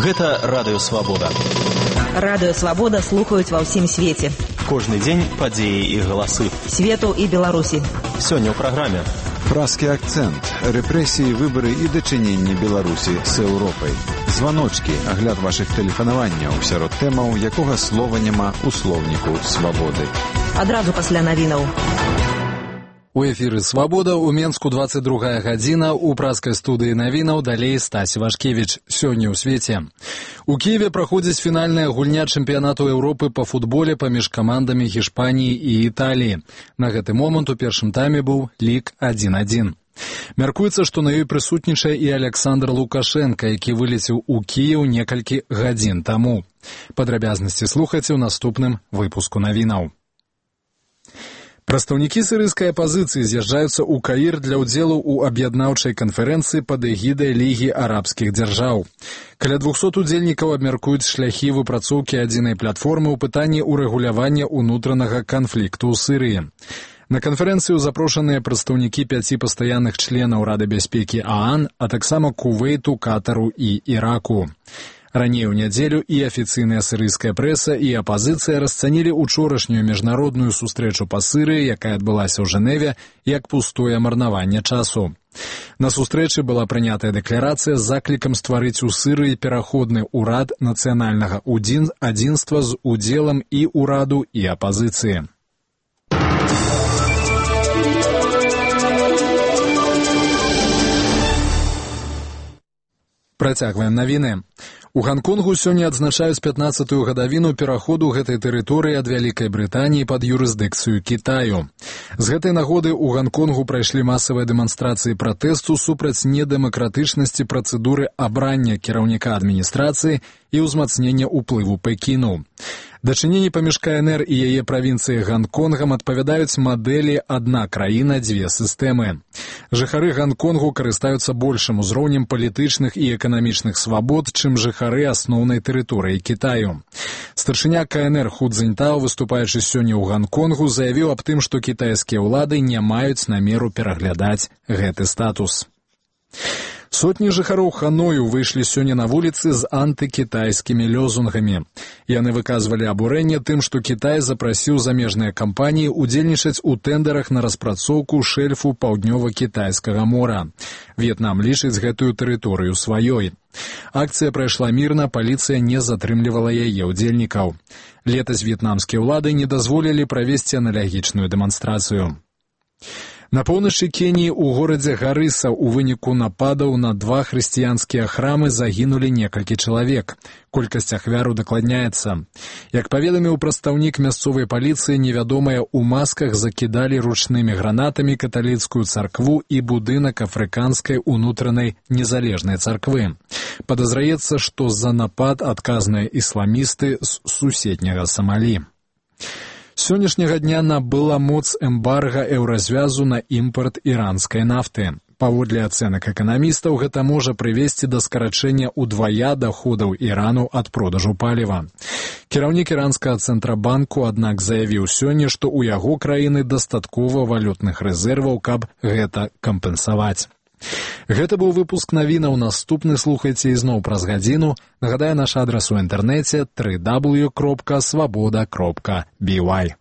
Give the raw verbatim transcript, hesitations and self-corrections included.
Гэта Радыё Свабода. Радыё Свабода слухаюць ва ўсім свеце. Кожны дзень падзеі і галасы. Свету і Беларусі. Сёння ў праграме. Празкі акцэнт, рэпрэсіі, выбары і дачыненні Беларусі з Еўропай. Званочкі, агляд вашых тэлефанаванняў сярод тэмаў, якога слова няма ў слоўніку свабоды. Адразу пасля навінаў. У эфіры «Свабода» у Менску двадцать другая гадзіна, у празкай студыі навінаў далей Стась Вашкевіч. Сёння ў свеце. У Киеве праходзіць фінальная гульня чэмпіянату Еўропы па футболе паміж камандамі Гішпаніі і Італіі. На гэты момант у першым тайме быў лік адзін адзін. Мяркуецца, што на ёй прысутнічае і Александр Лукашенка, які вылецеў у Кіеў некалькі гадзін таму. Падрабязнасці слухайце ў наступным выпуску навінаў. Прадстаўнікі сірыйскай апазіцыі з'язджаюцца ў Каір для ўдзелу ў аб'яднаўчай канферэнцыі пад эгідай Лігі арабскіх дзяржаў. Каля двухсот удзельнікаў абмяркуюць шляхі выпрацоўкі адзінай платформы ў пытанні ўрэгулявання ўнутранага канфлікту ў Сірыі. На канферэнцыю запрошаныя прадстаўнікі пяці пастаянных членаў Рады бяспекі ААН, а таксама Кувейту, Катару і Іраку. Раней у нядзелю і афіцыйная сірыйская прэса, і апазіцыя расцанілі учорашнюю міжнародную сустрэчу па Сірыі, якая адбылася ў Жэневе, як пустое марнаванне часу. На сустрэчы была прынятая дэкларацыя з заклікам стварыць у Сірыі пераходны ўрад нацыянальнага адзінства з удзелам і ўраду, і апазіцыі. Працягваем навіны. У Ганконгу сёння адзначаюць пятнаццатую гадавіну пераходу гэтай тэрыторыі ад Вялікай Брытаніі пад юрысдыкцыю Кітаю. З гэтай нагоды ў Ганконгу прайшлі масавыя дэманстрацыі пратэсту супраць недэмакратычнасці працэдуры абрання кіраўніка адміністрацыі і ўзмацнення ўплыву Пекіну. Дачыненні паміж КНР і яе правінцыяй Ганконгам адпавядаюць мадэлі «адна краіна, дзве сістэмы». Жыхары Ганконгу карыстаюцца большым узроўнем палітычных і эканамічных свабод, чым жыхары асноўнай тэрыторыі Кітаю. Старшыня КНР Ху Цзіньтао, выступаючы сёння ў Ганконгу, заявіў аб тым, што кітайскія ўлады не маюць намеру пераглядаць гэты статус. Сотні жыхароў Ханою выйшлі сёння на вуліцы з антыкітайскімі лёзунгамі. Яны выказвалі абурэнне тым, што Кітай запрасіў замежныя кампаніі удзельнічаць у тэндарах на распрацоўку шэльфу паўднёва-кітайскага мора. В'етнам лічыць гэтую тэрыторыю сваёй. Акцыя прайшла мірна, паліцыя не затрымлівала яе ўдзельнікаў. Летась в'етнамскія ўлады не дазволілі правесці аналагічную дэманстрацыю. На поўначы Кеніі ў горадзе Гарыса ў выніку нападаў на два хрысціянскія храмы загінулі некалькі чалавек. Колькасць ахвяр удакладняецца. Як паведаміў прадстаўнік мясцовай паліцыі, невядомыя ў масках закідалі ручнымі гранатамі каталіцкую царкву і будынак афрыканскай унутранай незалежнай царквы. Падазраецца, што за напад адказныя ісламісты з суседняга Самалі. Сённяшняга дня набыла моц эмбарга еўразвязу на імпарт іранскай нафты. Паводле ацэнак эканамістаў, гэта можа прывесці да скарачэння ўдвая даходаў Ірану ад продажу паліва. Кіраўнік іранскага цэнтрабанку, аднак, заявіў сёння, што ў яго краіны дастаткова валютных рэзерваў, каб гэта кампенсаваць. Гэта быў выпуск навінаў. Наступны слухайце ізноў праз гадзіну. Нагадаю, наш адрас у інтэрнэце дабл ю дабл ю дабл ю кропка свабода кропка бі вай.